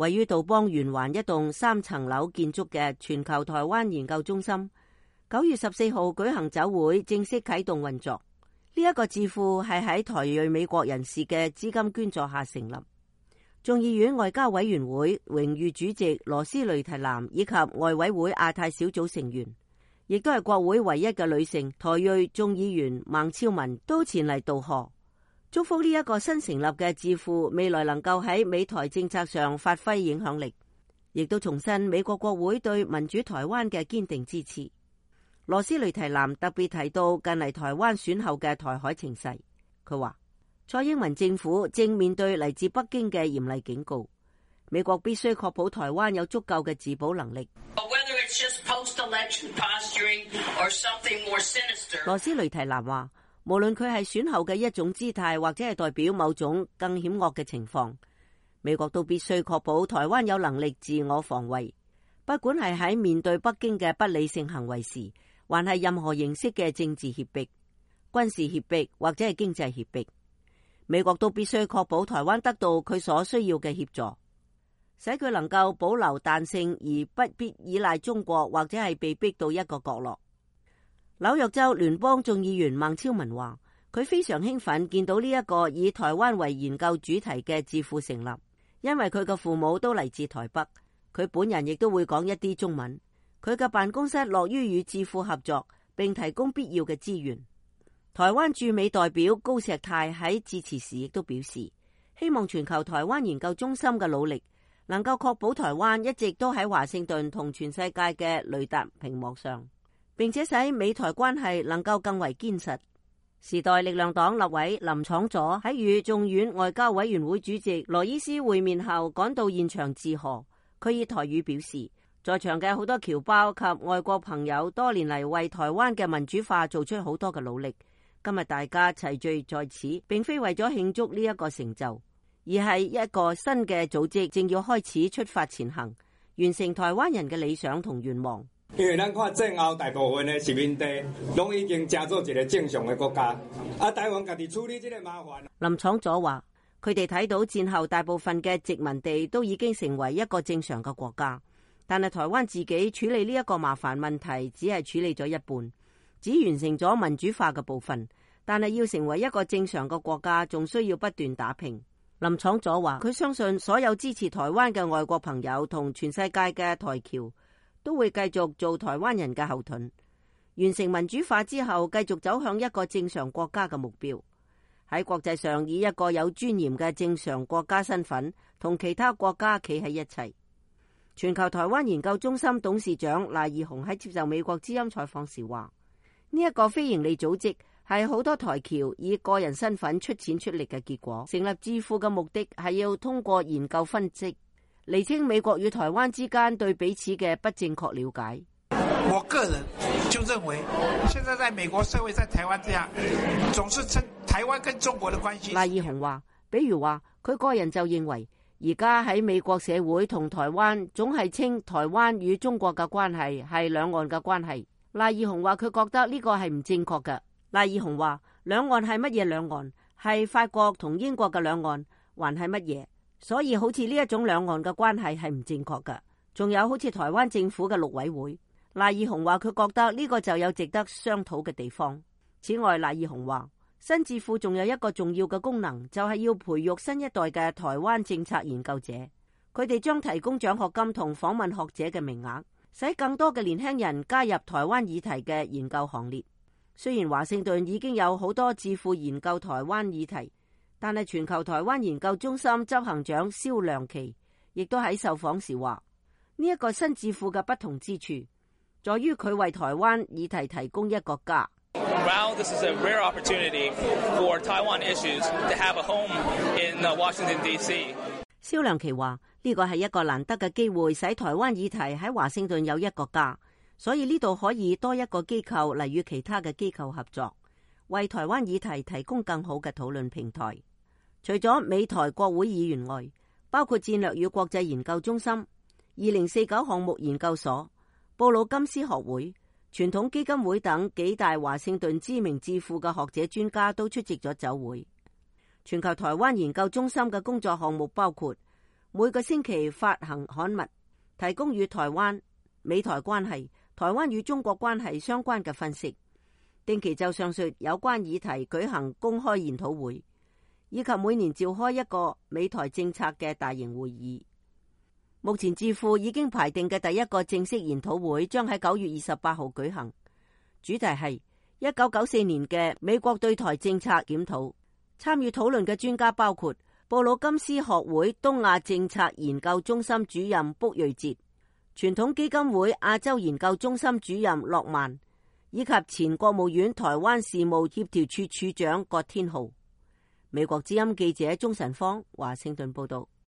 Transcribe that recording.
位於杜邦圓環一棟3層樓建築嘅全球台灣研究中心，9月14號舉行酒會，正式啟動運作。呢一個智庫係喺台裔美國人士嘅資金捐助下成立。眾議院外交委員會榮譽主席羅斯雷提南以及外委會亞太小組成員，亦都係國會唯一嘅女性台裔眾議員孟超文都前嚟道賀，祝福呢一個新成立嘅智庫未來能夠喺美台政策上發揮影響力，亦都重申美國國會對民主台灣嘅堅定支持。羅斯雷提南特別提到近嚟台灣選後嘅台海情勢，佢話蔡英文政府正面對嚟自北京嘅嚴厲警告，美國必須確保台灣有足夠嘅自保能力。羅斯雷提南話，無論佢係選後嘅一種姿態，或者係代表某種更險惡嘅情況，美國都必須確保台灣有能力自我防衛，不管係喺面對北京嘅不理性行為時，還係任何形式嘅政治脅迫、軍事脅迫或者係經濟脅迫，美國都必須確保台灣得到佢所需要嘅協助，使佢能夠保留彈性而不必依賴中國或者係被逼到一個角落。紐約州聯邦眾議員孟超文話，佢非常興奮見到呢一個以台灣為研究主題嘅智庫成立，因為佢嘅父母都嚟自台北，佢本人亦都會講一啲中文。佢嘅辦公室樂於與智庫合作，並提供必要嘅資源。台灣駐美代表高石泰喺致辭時亦都表示，希望全球台灣研究中心嘅努力能夠確保台灣一直都喺華盛頓同全世界嘅雷達屏幕上，並且使美台關係能夠更為堅實。時代力量黨立委林昶佐喺與眾院外交委員會主席羅伊斯會面後趕到現場致賀，佢以台語表示，在場嘅好多僑胞及外國朋友多年嚟為台灣嘅民主化做出好多嘅努力，今日大家齊聚在此，並非為咗慶祝呢一個成就，而係一個新嘅組織正要開始出發前行，完成台灣人嘅理想同願望。因為咱看戰後大部分嘅殖民地攏已經成做一個正常嘅國家，台灣家己處理這個麻煩。林昶佐話，佢哋睇到戰後大部分嘅殖民地都已經成為一個正常嘅國家，但係台灣自己處理呢一個麻煩問題只係處理咗一半，只完成咗民主化嘅部分，但係要成為一個正常嘅國家，仲需要不斷打拼。林昶佐話，佢相信所有支持台灣嘅外國朋友同全世界嘅台僑都會繼續做台灣人嘅後盾，完成民主化之後，繼續走向一個正常國家嘅目標，喺國際上以一個有尊嚴嘅正常國家身份，同其他國家企喺一齊。全球台灣研究中心董事長賴義雄喺接受美國之音採訪時話，呢一個非營利組織係好多台僑以個人身份出錢出力嘅結果。成立智庫嘅目的係要通過研究分析，釐清美國與台灣之間對彼此嘅不正確了解。我個人就認為，現在在美國社會，在台灣這樣，總是稱台灣跟中國的關係。賴義雄話，比如話佢個人就認為，而家喺美國社會同台灣總係稱台灣與中國嘅關係係兩岸嘅關係。賴義雄話佢覺得呢個係唔正確嘅。賴義雄話，兩岸係乜嘢兩岸？係法國同英國嘅兩岸，還係乜嘢？所以好似呢一種兩岸嘅關係係唔正確嘅。仲有好似台灣政府嘅陸委會，賴義雄話佢覺得呢個就有值得商討嘅地方。此外，賴義雄話新智庫仲有一個重要嘅功能，就係要培育新一代嘅台灣政策研究者。佢哋將提供獎學金同訪問學者嘅名額，使更多嘅年輕人加入台灣議題嘅研究行列。雖然華盛頓已經有好多智庫研究台灣議題，但係全球台灣研究中心執行長蕭亮琪亦都喺受訪時話，呢一個新智庫嘅不同之處在於佢為台灣議題提供一個家。Wow, this is a rare opportunity for Taiwan issues to have a home in Washington, D.C. 蕭亮琪話，呢個係一個難得嘅機會，使台灣議題喺華盛頓有一個家，所以呢度可以多一個機構嚟與其他嘅機構合作，為台灣議題提供更好嘅討論平台。除咗美台國會議員外，包括戰略與國際研究中心、2049項目研究所、布魯金斯學會、傳統基金會等幾大華盛頓知名智庫嘅學者專家都出席咗酒會。全球台灣研究中心嘅工作項目包括每個星期發行刊物，提供與台灣、美台關係、台灣與中國關係相關嘅分析，定期就上述有關議題舉行公開研討會，以及每年召開一個美台政策嘅大型會議。目前智庫已經排定嘅第一個正式研討會將喺9月28號舉行，主題係1994年嘅美國對台政策檢討。參與討論嘅專家包括布魯金斯學會東亞政策研究中心主任卜瑞哲、傳統基金會亞洲研究中心主任駱曼，以及前國務院台灣事務協調處處長郭天浩。美國之音記者鍾晨芳華盛頓報道。